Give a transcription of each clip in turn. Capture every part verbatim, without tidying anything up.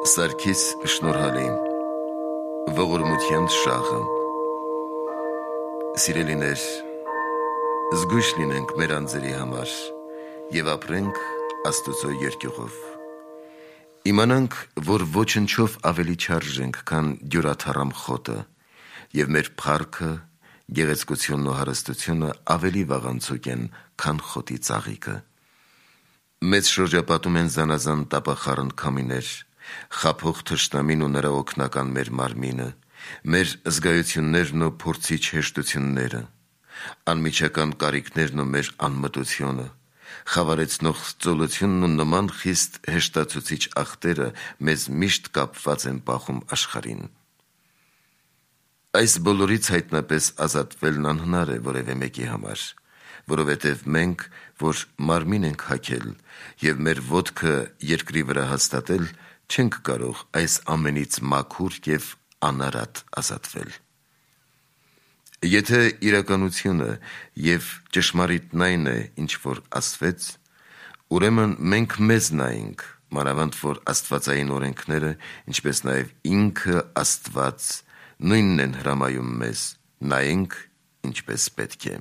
Սարգիս Շնորհալի Ողորմության շաղը։ Սիրելիներ, զգույշ լինենք մեր անձերի համար և ապրենք Աստծո երկյուղով։ Իմանանք, որ ոչնչով ավելի չարժենք, քան դյուրաթառամ խոտը, և մեր փառքը, գեղեցկությունն ու հարստությունը ավելի վաղանցուկ են, քան խոտի ծաղիկը։ Մեծ շրջապատում են զանազան տապախառն քամիներ, խաբող թշնամին ու նրա օգնական մեր մարմինը, մեր զգայություններն ու փորձիչ հեշտությունները, անմիջական կարիքներն ու մեր անմտությունը, խավարեցնող ծոլությունն ու նման խիստ հեշտացուցիչ ախտերը մեզ միշտ կապված են պահում աշխարհին։ Այս բոլորից հայտնապես ազատվելն անհնար է որևէ մեկի համար, որովհետև մենք, որ մարմին ենք հագել և մեր ոտքը երկրի վրա հաստատել, չենք կարող այս ամենից մաքուր և անարատ ազատվել։ Եթե իրականությունը և ճշմարիտն այն է, ինչ որ ասվեց, ուրեմն մենք մեզ նայենք, մանավանդ որ աստվածային օրենքները, ինչպես նաև ինքը Աստված, նույնն են հրամայում մեզ, նայենք ինչպես պետք է։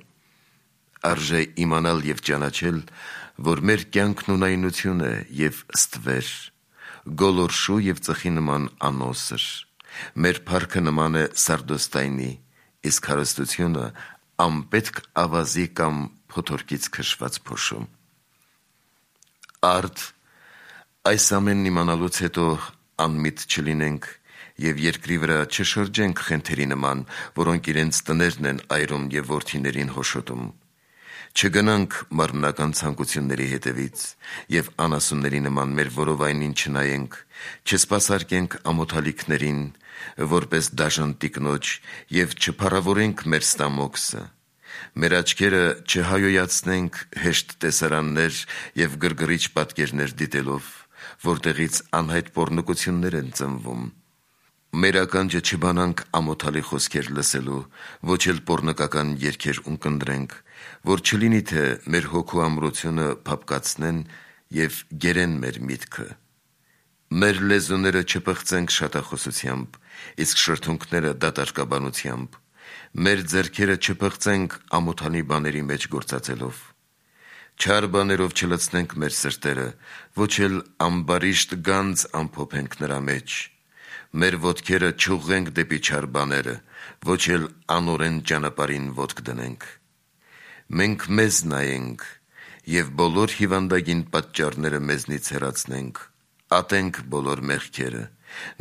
Արժե իմանալ և ճանաչել, որ մեր կյանքն ունայնություն է և ստվեր, գոլորշու և ծխի նման անոսր, մեր փառքը նման է սարդոստայնի, իսկ հարստությունը անպետք ավազի կամ փոթորկից քշված փոշու։ Արդ այս ամենն իմանալուց հետո անմիտ չլինենք և երկրի վրա չշրջենք խենթերի նման, որոնք իրենց տներն են այրում և որդիներին հոշոտում։ Չգնանք մարմնական ցանկությունների հետևից և անասունների նման մեր որովայնին չնայենք, չսպասարկենք ամոթալիքներին, որպես դաժան տիկնոջ և չփառավորենք մեր ստամոքսը, մեր աչքերը չհայոյացնենք հեշտ տեսարաններ և գրգռիչ պատկերներ դիտելով, որտեղից անհայտ պոռնկություններ են ծնվում, մեր ականջը չբանանք ամոթալի խոսքեր լսելու, ոչ էլ պոռնկական երգեր ունկնդրենք, որ չլինի թե մեր հոգու ամրությունը փափկացնեն և գերեն մեր միտքը։ Մեր լեզուները չպղծենք շատախոսությամբ, իսկ շրթունքները դատարկաբանությամբ, մեր ձեռքերը չպղծենք ամոթալի բաների մեջ գործածելով։ Չար բաներով չլցնենք մեր սրտերը, ոչ էլ ամբարիշտ գանձ ամփոփենք նրա մեջ, մեր ոտքերը չուղղենք դեպի չար բաները, ոչ էլ անօրեն ճանապարհին ոտք դնենք։ Մենք մեզ նայենք և բոլոր հիվանդագին պատճառները մեզնից հեռացնենք, ատենք բոլոր մեղքերը,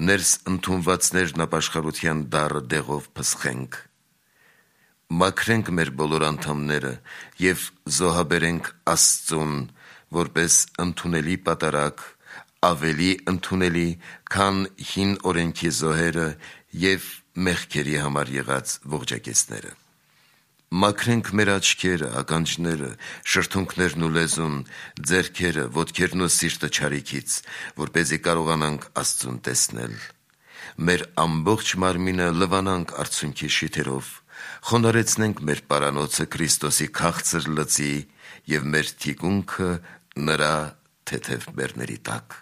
ներս ընդունվածներն ապաշխարության դառը դեղով փսխենք։ Մաքրենք մեր բոլոր անդամները և զոհաբերենք Աստծուն, որպես ընդունելի պատարագ, ավելի ընդունելի, քան հին օրենքի զոհերը և մեղքերի համար եղած ողջակեցները։ Մաքրենք մեր աչքերը, ականջները, շրթունքներն ու լեզուն, ձեռքերը, ոտքերն ու սիրտը չարիքից, որպեսզի կարողանանք Աստծուն տեսնել։ Մեր ամբողջ մարմինը լվանանք արցունքի շիթերով, խոնարհեցնենք մեր պարանոցը Քրիստոսի քաղցր լծի և մեր թիկունքը նրա թեթև բեռների տակ։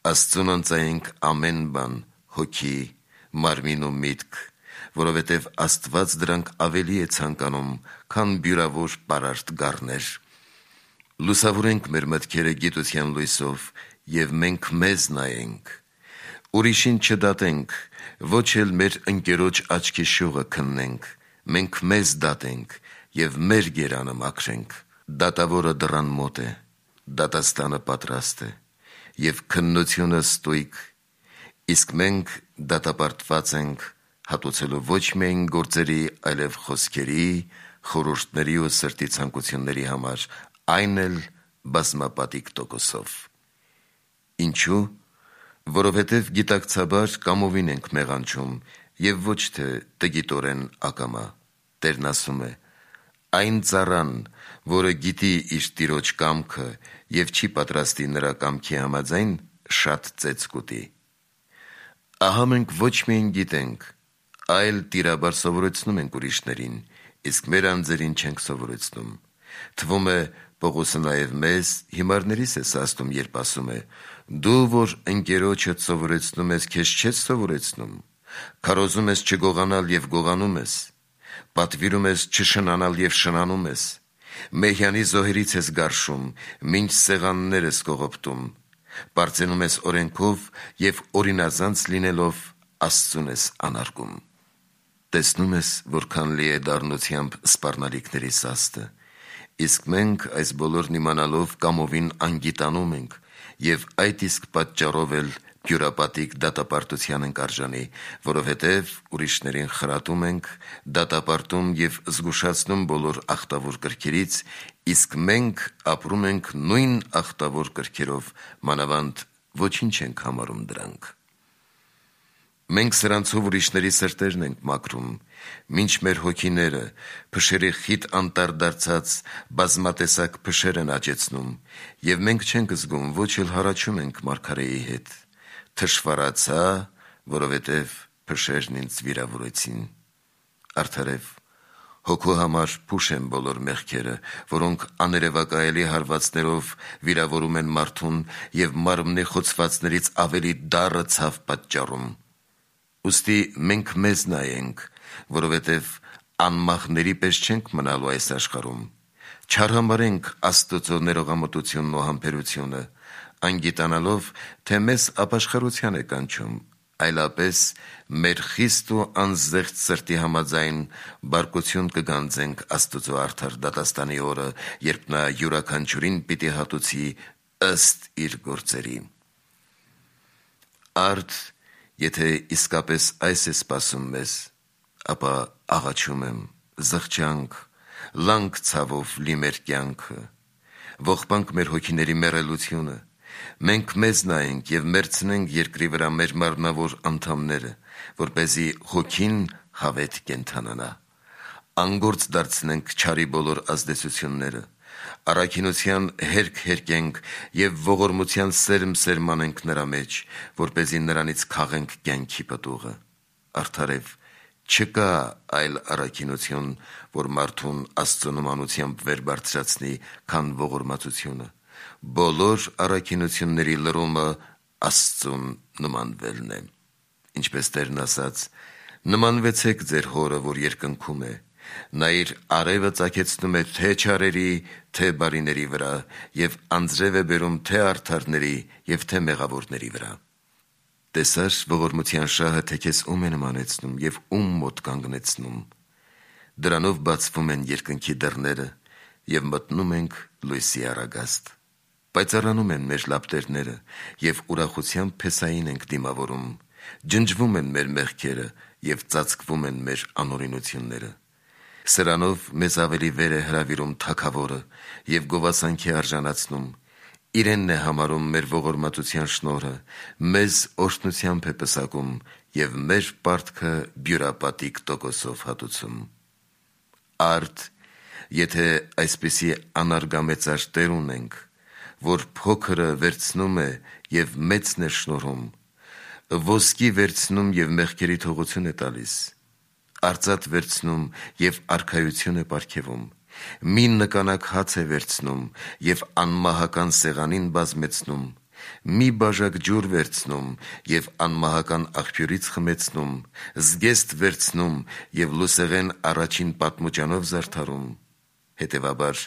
Աստծուն ընծայենք ամեն բան, հոգի, մարմին ու միտք, որովհետև Աստված դրանք ավելի է ցանկանում, քան բյուրավոր պարարտ գառներ։ Լուսավորենք մեր մտքերը գիտության լույսով և մենք մեզ նայենք։ Ուրիշին չդատենք, ոչ էլ մեր ընկերոջ աչքի շուղը քննենք, մենք մեզ դատենք և մեր գերանը մաքրենք։ Դատավորը դռան մոտ է, դատաստանը պատրաստ է, և քննությունը ստույգ, իսկ մենք դատապարտված ենք, հատուցելու ոչ միայն գործերի, այլև խոսքերի, խորհուրդների ու սրտի ցանկությունների համար, այն էլ բազմապատիկ տոկոսով։ Ինչու՞։ Որովհետև գիտակցաբար կամովին ենք մեղանչում և ոչ թե տգիտորեն ակամա։ Տերն ասում է. «Այն ծառան, որը գիտի իր տիրոջ կամքը և չի պատրաստի նրա կամքի համաձայն, շատ ծեծ կուտի»։ Ահա մենք ոչ միայն գիտենք, այլ տիրաբար սովորեցնում ենք ուրիշներին, իսկ մեր անձերին չենք սովորեցնում։ Թվում է Պողոսը նաև մեզ հիմարներիս է ասում, երբ ասում է. «Դու, որ ընկերոջդ սովորեցնում ես, քեզ չես սովորեցնում, քարոզում ես չգողանալ և գողանում ես, պատվիրում ես չշնանալ և շնանում ես, մեհյանի զոհերից ես գարշում, մինչ սեղաններ ես կողոպտում, պարծենում ես օրենքով և օրինազանց լինելով Աստծուն ես անարգում»։ Տեսնում ես, որքան լի է դառնությամբ սպառնալիքների սաստը, իսկ մենք այս բոլորն իմանալով կամովին անգիտանում ենք և այդ իսկ պատճառով էլ բյուրապատիկ դատապարտության ենք արժանի, որովհետև ուրիշներին խրատում ենք, դատապարտում և զգուշացնում բոլոր ախտավոր կրքերից, իսկ մենք ապրում ենք նույն ախտավոր կրքերով, մանավանդ ոչինչ ենք համարում դրանք։ Մենք սրանցով ուրիշների սրտերն ենք մաքրում, մինչ մեր հոգիները փշերի խիտ անտառ դարձած բազմատեսակ փշեր են աճեցնում, և մենք չենք զգում, ոչ էլ հառաչում ենք մարգարեի հետ. «Թշվառացա, որովհետև փշերն ինձ վիրավորեցին»։ Արդարև, հոգու համար փուշ են բոլոր մեղքերը, որոնք աներևակայելի հարվածներով վիրավորում են մարդուն և մարմնի խոցվածներից ավելի դառը ցավ պատճառում։ Ուստի մենք մեզ նայենք, որովհետև անմախների պես չենք մնալու այս աշխարհում, չարհամարենք Աստծո ներողամտությունն ու համբերությունը, անգիտանալով, թե մեզ ապաշխարության է կանչում, այլապես մեր խիստ ու անզեղծ սրտի համաձայն բարկություն կգանձենք Աստծո արդար դատաստանի օրը, երբ նա յուրաքանչյուրին պիտի հատուցի ըստ իր գործերի։ Արդ, եթե իսկապես այս է սպասում մեզ, ապա աղաչում եմ, զղջանք, լանք ցավով լի մեր կյանքը, ողբանք մեր հոգիների մեռելությունը, մենք մեզ նայենք և մերցնենք երկրի վրա մեր մարմնավոր անդամները, որպեսզի հոգին հավետ կենդանանա, անգործ դարձնենք չարի բոլոր ազդեցությունները, առաքինության հերք հերկենք և ողորմության սերմ սերմանենք նրա մեջ, որպեսզի նրանից քաղենք կյանքի պտուղը։ Արդարև, չկա այլ առաքինություն, որ մարդուն Աստծո նմանությամբ վեր բարձրացնի, քան ողորմածությունը։ Բոլոր առաքինությունների լրումը Աստծուն նմանվելն է։ Ինչպես Տերն ասաց. «Նմանվեցեք ձեր հորը, որ երկնքում է, նա իր արևը ծագեցնում է թե չարերի, թե բարիների վրա, և անձրև է բերում թե արդարների և թե մեղավորների վրա»։ Տեսա՞ր ողորմության շահը, թե քեզ ում է նմանեցնում և ում մոտ կանգնեցնում։ Դրանով բացվում են երկնքի դռները, և մտնում ենք լույսի առագաստ։ Պայծառանում են մեր լապտերները, և ուրախությամբ փեսային ենք դիմավորում, ջնջվում են մեր մեղքերը և ծածկվում են մեր անօրինությունները։ Սրանով մեզ ավելի վեր է հրավիրում Թագավորը և գովասանքի արժանացնում, իրենն է համարում մեր ողորմածության շնորհը, մեզ օրհնությամբ է պսակում և մեր պարտքը բյուրապատիկ տոկոսով հատուցում։ Արդ, եթե այսպիսի անարգամեծար Տեր ունենք, որ փոքրը վերցնում է և մեծն է շնորհում, ոսկի վերցնում և մեղքերի թողություն է տալիս, արծաթ վերցնում և արքայություն է պարգևում, մի նկանակ հաց է վերցնում և անմահական սեղանին բազմեցնում, մի բաժակ ջուր վերցնում և անմահական աղբյուրից խմեցնում, զգեստ վերցնում և լուսեղեն առաջին պատմուճանով զարդարում, հետևաբար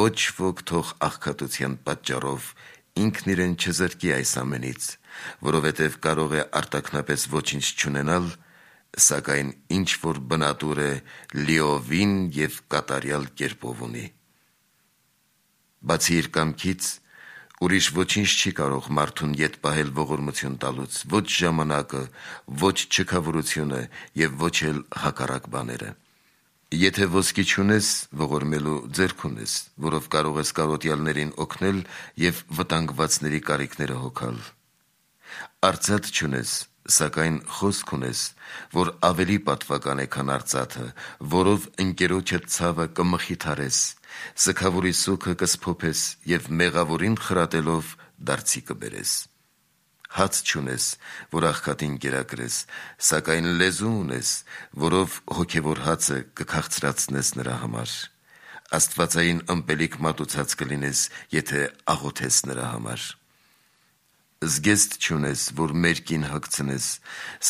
ոչ ոք թող աղքատության պատճառով ինքն իրեն չզրկի այս ամենից, որովհետև կարող է արտաքնապես ոչինչ չունենալ, սակայն ինչ որ բնատուր է, լիովին և կատարյալ կերպով ունի։ Բացի իր կամքից, ուրիշ ոչինչ չի կարող մարդուն ետ պահել ողորմություն տալուց, ոչ ժամանակը, ոչ չքավորությունը և ոչ էլ հակառակ բաները։ Եթե ոսկի չունես, ողորմելու ձեռք ունես, որով կարող ես կարոտյալներին օգնել և վտանգվածների կարիքները հոգալ։ Արծաթ չունես, սակայն խոսք ունես, որ ավելի պատվական է, քան արծաթը, որով ընկերոջդ ցավը կմխիթարես, սգավորի սուգը կսփոփես և մեղավորին խրատելով դարձի կբերես։ Հաց չունես, որ աղքատին կերակրես, սակայն լեզու ունես, որով հոգևոր հացը կքաղցրացնես նրա համար։ Աստվածային ըմպելիք մատուցած կլինես, եթե աղոթես նրա համար։ Զգեստ չունես, որ մերկին հագցնես,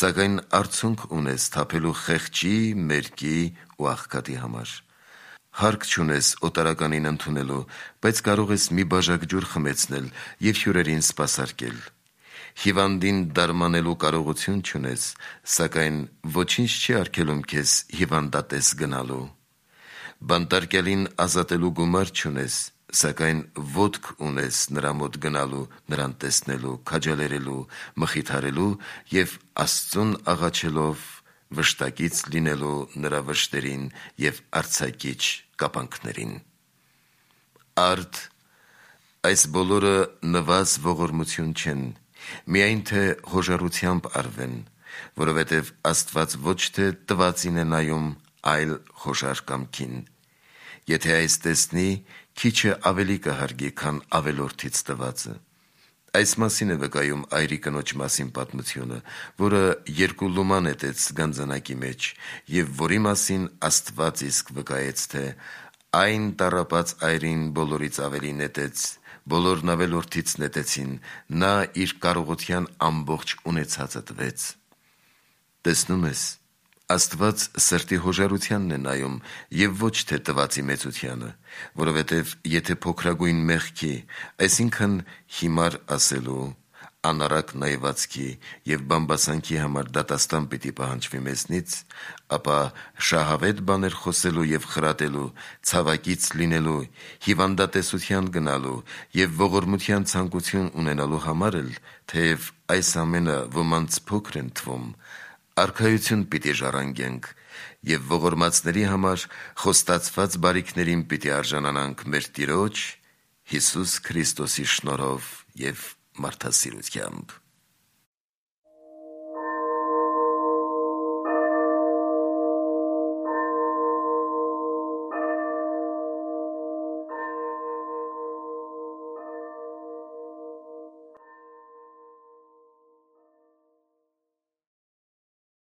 սակայն արցունք ունես թափելու խեղճի, մերկի ու աղքատի համար։ Հարկ չունես օտարականին ընդունելու, բայց կարող ես մի բաժակ ջուր խմեցնել և հյուրերին սպասարկել։ Հիվանդին դարմանելու կարողություն չունես, սակայն ոչինչ չի արգելում քեզ հիվանդատես գնալու։ Բանտարկյալին ազատելու գումար չունես, սակայն ոտք ունես նրա մոտ գնալու, նրան տեսնելու, քաջալերելու, մխիթարելու և Աստծուն աղաչելով վշտակից լինելու նրա վշտերին և արձակիչ կապանքներին։ Արդ, այս բոլորը նվազ ողորմություն չեն, միայն թե հոժարությամբ արվեն, որովհետև Աստված ոչ թե տվածին է նայում, այլ խոշոր կամքին։ Եթե այս տեսնի, քիչը ավելի կհարգի, քան ավելորդից տվածը։ Այս մասին է վկայում այրի կնոջ մասին պատմությունը, որը երկու լումա նետեց գանձանակի մեջ, և որի մասին Աստված իսկ վկայեց, թե այն տառապած այրին բոլորից ավելի նետեց, բոլորն ավելորդից նետեցին, նա իր կարողության ամբողջ ունեցածը տվեց։ Տեսնում ես, Աստված սրտի հոժարությանն է նայում և ոչ թե տվածի մեծությանը, որովհետև եթե փոքրագույն մեղքի, այսինքն հիմար ասելու, անառակ նայվածքի և բամբասանքի համար դատաստան պիտի պահանջվի մեզնից, ապա շահավետ բաներ խոսելու և խրատելու, ցավակից լինելու, հիվանդատեսության գնալու և ողորմության ցանկություն ունենալու համար էլ, թեև այս ամենը ոմանց փոքր են թվում, արքայություն պիտի ժառանգենք և ողորմածների համար խոստացված բարիքներին պիտի արժանանանք մեր Տիրոջ Հիսուս Քրիստոսի շնորհով և մարդասիրությամբ։